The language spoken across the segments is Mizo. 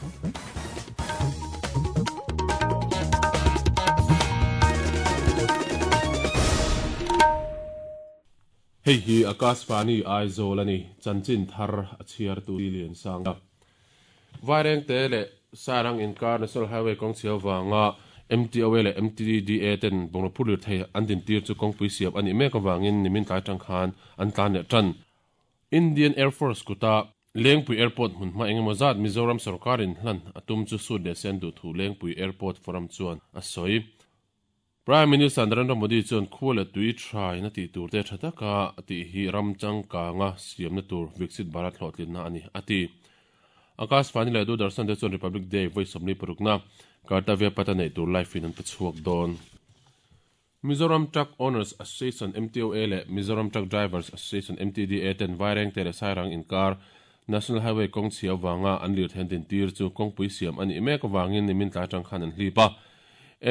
Hei hi Akashvani Aizawl a ni, chanchin thar a chhiartu Liansanga. Vairengte leh Sairang inkar National Highway kawng chhia vanga MTOA leh MTDA ten bungraw phur lirthei an dintir chu kawngpui siam a nih mek avangin nimin tlai tang khan an tlan leh tan. Indian Air Force kuta Lengpui Airport hmunhma engemaw zat Mizoram sorkarin hlan a tum chu sut leh sen duh thu Lengpui Airport Forum chuan a sawi. Prime Minister Narendra Modi chuan khua leh tui thain a tih tur te tha taka a tih hi ram changkanga siamna tur Viksit Bharat hlawhtlinna a ni, a ti. Akashvani leh Doordarshan te chuan Republic Day vawi 46na Kartavya Path a neih tur live in an pe chhuak dawn. Mizoram Truck Owners Association, MTOA, leh Mizoram Truck Drivers Association, MTDA, ten Vairengte leh Sairang inkar National Highway kawng chhia avanga an lirthei an dintir chu kawngpui siam a nih mek avangin nimin tlai atang khan an hlip a.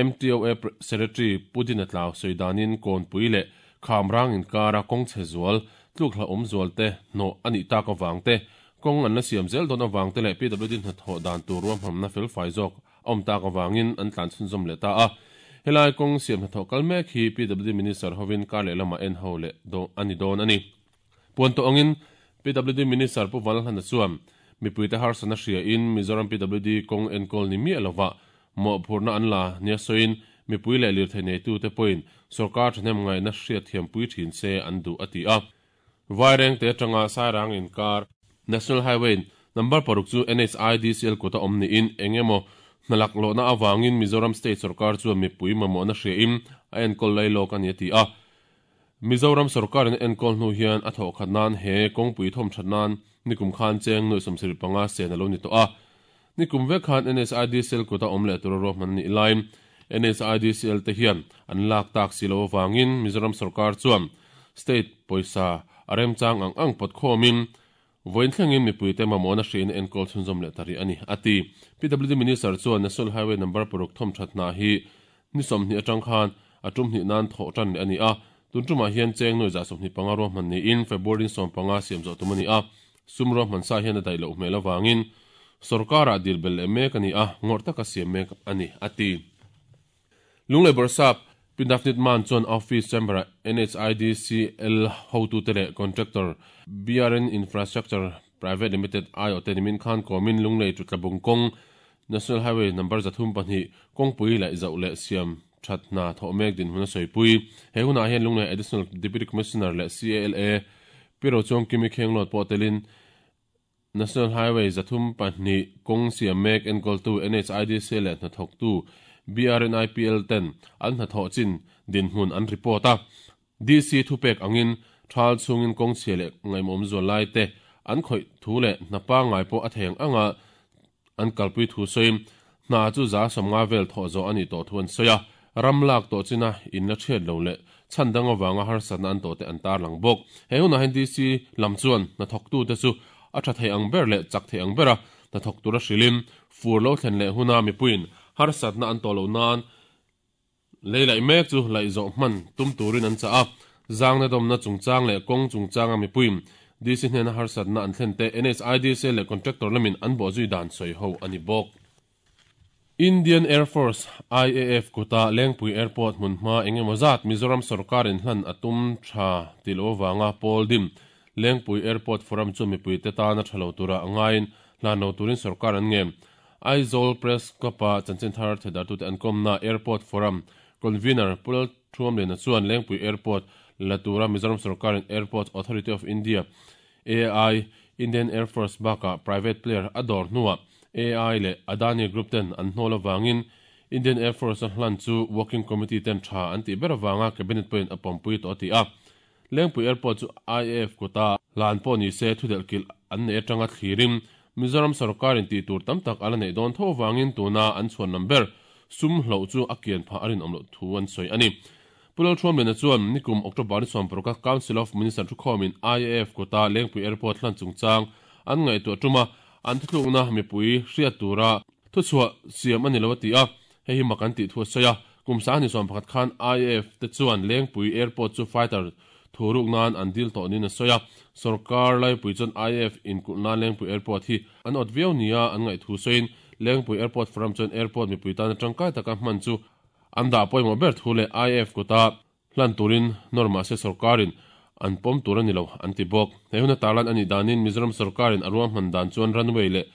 MTOA Secretary Pu Dina Tlau sawi danin Kawnpui leh Khamrang inkara kawng chhe zual, tluk hlauhawm zual te hnawh a nih tak avang te, kawng an la siam zel dawn avang te leh PWD hnathawh dan tur ruahmanna felfai zawk a awm tak avangin an tlan chhunzawm leh ta a. Helai kawng siam hnathawh kal mek hi PWD Minister hovin kar leh lamah en ho leh a ni dawn a ni. Puan tawh angin PWD Minister Pu Vanlalhlana chuan mipuite harsatna hriain Mizoram PWD kawng enkawl ni miah lovah mawhphurhna an la nia sawiin mipui leh lirthei neitute pawhin sorkar thahnem ngaihna hriatthiampui thin se an duh a ti a. Vairengte atanga Sairang inkar National Highway number paruk chu NHIDCL kuta awm niin eng emaw hnalak lohna avangin Mizoram State sorkar chuan mipui mamawhna hriain a enkawl lai lawk a ni a ti a. Mizoram sorkarin a enkawl hnu hian a thawhkhat nan he kawngpui thawmthat nan nikum khan cheng nuih 75 sen a lo ni tawh a. Nikum vek khan NSIDCL kuta awm leh tura ruahman a nih laiin NSIDCL te hian an lak tak si lo avangin Mizoram sorkar chuan state pawisa a remchang ang ang pawt khawmin vawiin thlengin mipuite mamawhna hriain a enkawl chhunzawm leh ta rih a ni, a ti. PWD Minister chuan National Highway number paruk thawmthat hna hi Ni 20 atang khan a tum hnih nan thawh tan leh a ni a, tun tumah hian cheng nuai za 25 ruahman niin February 15 siam zawh tum a ni a, sum ruahman sa hian a daih loh hmel avangin sorkarah dil belh leh mek a ni a, ngawrh taka siam mek a ni, a ti. Lunglei Bawrhsap Pi Navneet Mann chuan Office Chamber-ah NHIDCL hotute leh Contractor BRN Infrastructure Private Limited aiawhte nimin khan kawmin Lunglei Tutlabung kawng National Highway number 32 kawngpui laih zauh leh siam that hna thawh mek dinhmun a sawipui. He hunah hian Lunglei Additional Deputy Commissioner leh CALA Pi Rochuang Kimi Khenglawt pawh telin National Highway 32 kawng siam mek enkawltu NHIDC leh hnathawktu BRNIPL ten an hnathawh chin dinhmun an report a. DC thupek angin thal chhungin kawng chhia leh ngaihmawm zual lai te an khawih thu leh hna pangngai pawh a thei ang anga an kalpui thu sawiin hna chu 50% vel thawh zawh a nih tawh thu an sawi a, ram lak tawh china in la chhiat lo leh chhan dang avanga harsatna an tawh te an tarlang bawk. He hunah hian DC lam chuan hnathawktute chu a tha thei ang ber leh chak thei ang bera hnathawk tura hrilhin fur lo thlen leh huna mipuiin harsatna an tawh loh nan Lei laih mek chu laih zawh hman tum turin an chah a, zangna dawmna chungchang leh kawng chungchanga mipuiin DC hnena harsatna an thlen te NHIDC leh contractor lamin an bawhzui dan sawi ho a ni bawk. Indian Air Force, IAF, kuta Lengpui Airport hmunhma eng emaw zat Mizoram sorkarin hlan a tum tha tih loh avanga Paul Dim, Lengpui Airport Forum chu mipuite tana tha lo tura a ngaiin hlan lo turin sorkar an ngen. Aizawl Press Club-a chanchin thar thedartute an kawmna Airport Forum Convener Pu Lalthuamliana chuan Lengpui Airport la tura Mizoram sorkarin Airports Authority of India, AI, Indian Air Force bakah private player a dawr hnuah AI leh Adani Group ten an hnawl avangin Indian Air Force-a hlan chu Working Committee ten tha an tih ber avanga Cabinet pawhin a pawmpui tawh a ti a. Lengpui Airport chu IAF kuta hlan pawh ni se thudelh kilh an neih atanga thlirin Mizoram sorkarin tih tur tam tak a la neih dawn tho avangin tuna an chhuan lam ber sum hloh chu a kian phah a rinawm loh thu an sawi a ni. Pu Lalthuamliana chuan nikum October ni 16 a Council of Minister thukhawmin IAF kuta Lengpui Airport hlan chungchang an ngaihtuah tuma an thuthlukna mipui hriat tura thuchhuah siam a ni lo a ti a, Hei hi mak an tih thu a sawi a, kum 21 khan IAF te chuan Lengpui Airport chu fighter thu ruk nan an dil tawh niin a sawi a. Sorkar laipui chuan IAF inkulh nan Lengpui Airport hi an awt viau nia an ngaih thu sawiin Lengpui Airport Forum chuan Airport mipui tana tangkai taka hman chu an dah pawimawh ber thu leh IAF kuta hlan turin nawr mahse sorkarin an pawm tur a ni lo an ti bawk. He huna tarlan a nih danin Mizoram sorkarin a ruahman dan chuan runway leh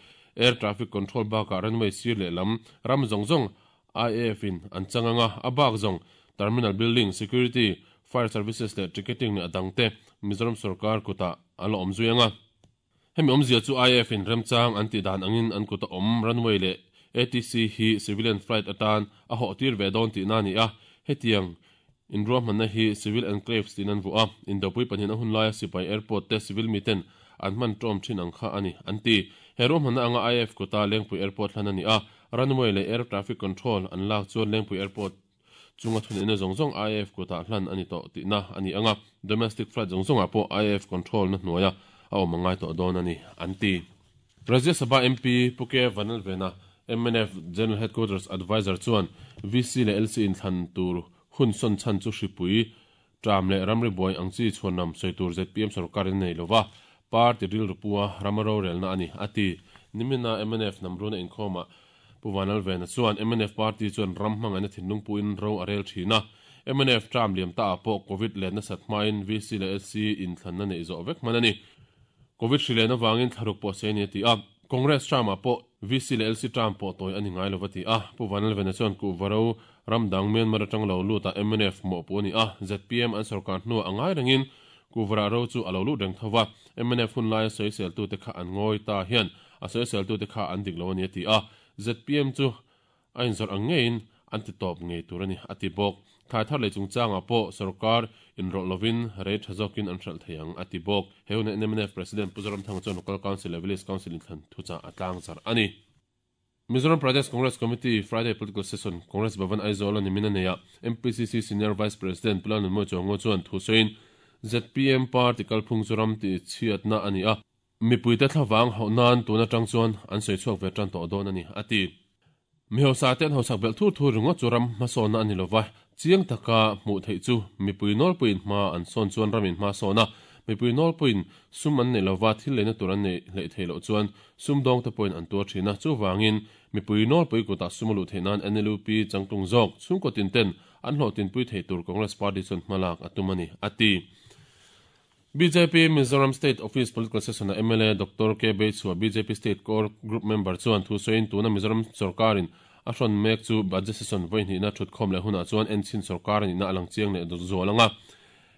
air traffic control bakah runway sir leh lam ram zawng zawng IAF in an chang anga a bak zawng terminal building, security, fire services leh ticketing leh a dangte Mizoram sorkar kutah a la awm zui anga. Hemi awmzia chu IAF in remchang an tih dan angin an kuta awm runway leh ATC hi civilian flight atan a hawh tir ve dawn tihna a ni a. Hetiang inruahmanna hi civil enclaves tiin an vuah a, Indopui pahnihin a hun laia sipai airport te civil miten an hman tawm thin ang kha a ni, an ti. He ruahmanna anga IAF kuta Lengpui Airport hlan a ni a, runway leh air traffic control an lak chuan Lengpui Airport Chunga thuneihna zawng zawng IAF kutah hlan a ni tawh tihna a ni ang a, domestic flight zawng zawngah pawh IAF control na hnuaia a awm a ngai tawh dawn a ni, an ti. Rajya Sabha MP Pu K Vanlalvena, mnf General Headquarters Adviser chuan VC leh LC inthlan tur hun sawn chhan chu hripui Tram leh ramri buai ang chi chhuanlam sawi tur zpm sorkarin a nei lova, party rilru pua rama rorelna a ni, a ti. Nimina mnf Namruna inkhawmah Pu Vanlalvena chuan mnf party chuan ram hmangaihna thinlung puin ro a rel thin a, mnf tram liam taah pawh Covid let nasat hmain VC leh LC inthlanna neih zawh vek hman a ni. Covid hri len avangin thlaruk pawh sei a ni a ti a. Congress term-ah pawh VC leh LC term pawh tawi a ni ngai lo va ti a. Pu Vanlalvena chuan kuhva ro ram dang Myanmar atang lo lut ah mnf mawhpuh a ni a, zpm an sorkar hnuah a ngai rengin kuhva ro chu a lo lut reng tho va. Mnf hun laia sawiseltute kha an ngawi ta hian a sawiseltute kha an dik lo a ni a ti a. Zpm chu A inzawrh ang ngeiin an ti tawp ngei tur a ni, a ti bawk. Thlai thar lei chungchangah pawh sorkar inrawlh lovin rei tha zawkin an hralh thei ang, a ti bawk. He huna mnf President Pu Zoramthanga chuan Local Council leh Village Council inthlan thuchah a tlangzarh a ni. Mizoram Pradesh Congress Committee Friday Political Session, Congress Bhavan Aizawl a nimin a nei a, MPCC Senior Vice President Pu Lalnunmawia Chuango chuan thu sawiin, zpm party kalphung chu ram tihchhiatna a ni a, Mipuite thlavang hauh nan tun atang chuan an sawi chhuak ve tan tawh dawn a ni, a ti. Mi hausa te an hausak belh thur thur ringawt chu ram hmasawnna a ni lova, chiang taka hmuh theih chu mipui nawlpuiin hma an sawn chuan ramin hma sawn a, mipui nawlpuiin sum an neih lova thil leina tur an neih hleih theih loh chuan sumdawngte pawhin an tuar thin a, chuvangin mipui nawlpui kutah sum a luh theih nan NLUP changtlung zawk chhungkaw tinten an hlawhtinpui theih tur Congress Party chuan hmalak a tum a ni, a ti. Bjp Mizoram State Office Political Session-a mla Doctor K Beichhua, bjp State Core Group member chuan thu sawiin tuna Mizoram sorkarin a hrawn mek chu Budget Session vawihnihna thutkhawm leh hunah chuan enchhin sorkar a nihna a lang chiang leh zual ang a,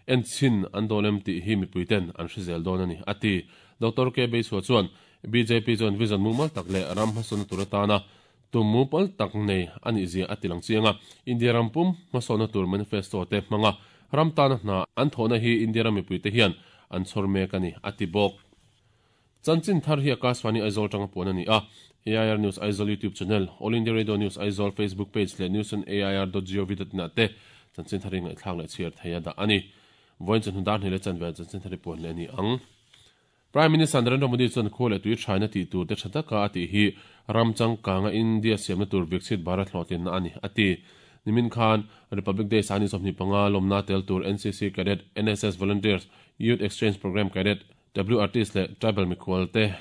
enchhin an dawn em tih hi mipuiten an hre zel dawn a ni, a ti. Doctor K Beichhua chuan bjp chuan vision mumal tak leh ram hmasawnna tur atana tum mumal tak nei a nih zia a ti lang chiang a, India ram pum hmasawnna tur manifesto te hmanga ram tana hna an thawhna hi India ram mipuite hian an chhawr mek a ni, a ti bawk. Chanchin thar hi Akashvani Aizawl tanga puan a ni a, AIR News Aizawl YouTube channel, All India Radio News Aizawl Facebook page leh news on air dot gov dot in ah te chanchin thar hi ngaihthlak leh chhiar thei a dah a ni. Vawiin chawhnu dar hnih leh chanve chanchin thar hi puan leh a ni ang. Prime Minister Narendra Modi chuan khua leh tui thaina tih tur te tha taka a tih hi ram changkanga India siamna tur Viksit Bharat hlawhtlinna a ni, a ti. Nimin khan Republic Day sani 25 lawmna tel tur NCC Cadet, NSS Volunteers, Youth Exchange Programme Cadet, WRTs leh Tribal mikhual te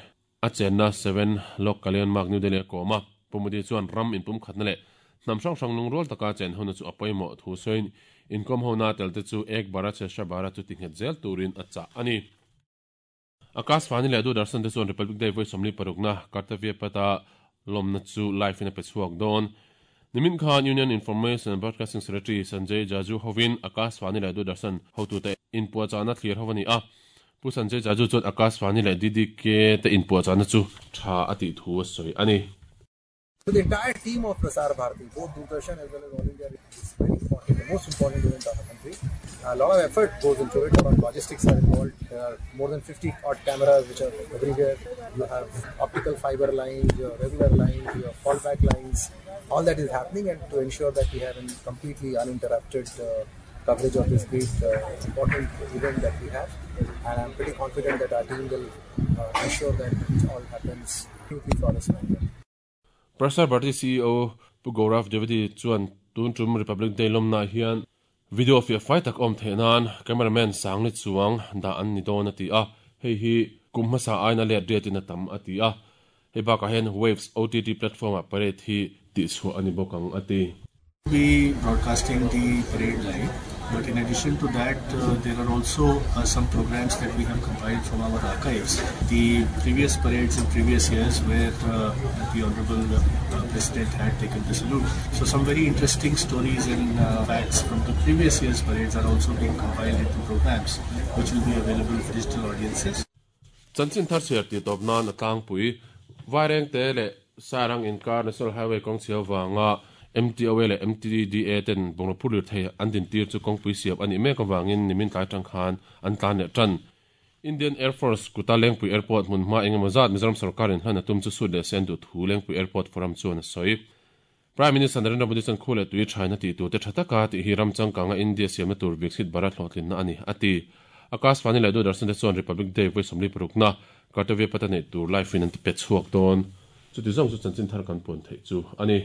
a chenna Seven Lok Kalyan Marg New Delhi a kawm a. Pu Modi chuan ram inpumkhatna leh hnam hrang hrang lungrual taka chen hona chu a pawimawh thu sawiin inkawm hona tel te chu Ek Bharat Shreshtha Bharat chu tinghet zel turin a chah a ni. Akashvani leh Doordarshan te chuan Republic Day vawi 46na Kartavya Path-a lawmna chu live in a pe chhuak dawn. Nimin khan Union Information and Broadcasting Secretary Sanjay Jaju hovin Akashvani leh Doordarshan hotute inpuahchahna thlir ho a ni a. Pu Sanjay Jaju chuan Akashvani leh DDK te inpuahchahna chu tha a tih thu a sawi a ni. So the entire team of Prasar Bharati, both Doordarshan as well as All India Radio, is very important, the most important event of the country. A lot of effort goes into it, a lot of logistics are involved. There are more than 50 odd cameras which are everywhere. You have optical fiber lines, your regular lines, your fallback lines. All that is happening, and to ensure that we have a completely uninterrupted coverage of this great important event that we have. And I'm pretty confident that our team will ensure that it all happens smoothly flawlessly. Prasar Bharati CEO Pu Gaurav Dwivedi chuan tun tum Republic Day lawmnaah hian Video fiah fai tak awm theih nan cameraman Sangli chuang dah an ni dawn a ti a, hei hi kum hmasa aiin a let riatin a tam a ti a. Hei bakah hian Waves OTT platform-ah parade hi tihchhuah a ni bawk ang a ti. Be broadcasting the parade live but in addition to that there are also some programs that we have compiled from our archives the previous parades in previous years where the honourable President had taken the salute so some very interesting stories and facts from the previous years parades are also being compiled into programs which will be available for digital audiences. Chanchin thar chhiar tih tawp nan a tlangpui. Vairengte leh Sairang inkar National Highway kawng chhia vanga MTOA leh MTDA ten bungraw phur lirthei an dintir chu kawngpui siam a nih mek avangin nimin tlai tang khan an tlan leh tan. Indian Air Force kuta Lengpui Airport hmun hma engemaw zat Mizoram sorkarin hlan a tum chu sut leh se an duh thu Lengpui Airport Forum chuan a sawi. Prime Minister Narendra Modi chuan khu leh tui thaina tih tur te tha taka tih hi ram changkanga India siamna tur Viksit Bharat hlawhtlinna a ni, a ti. Akashvani leh Doordarshan te chuan Republic Day vawi 46na Kartavya Patha neih tur live in an ti pe chhuak dawn. Chuti zawng chu chanchin thar kan puan theih chu a ni.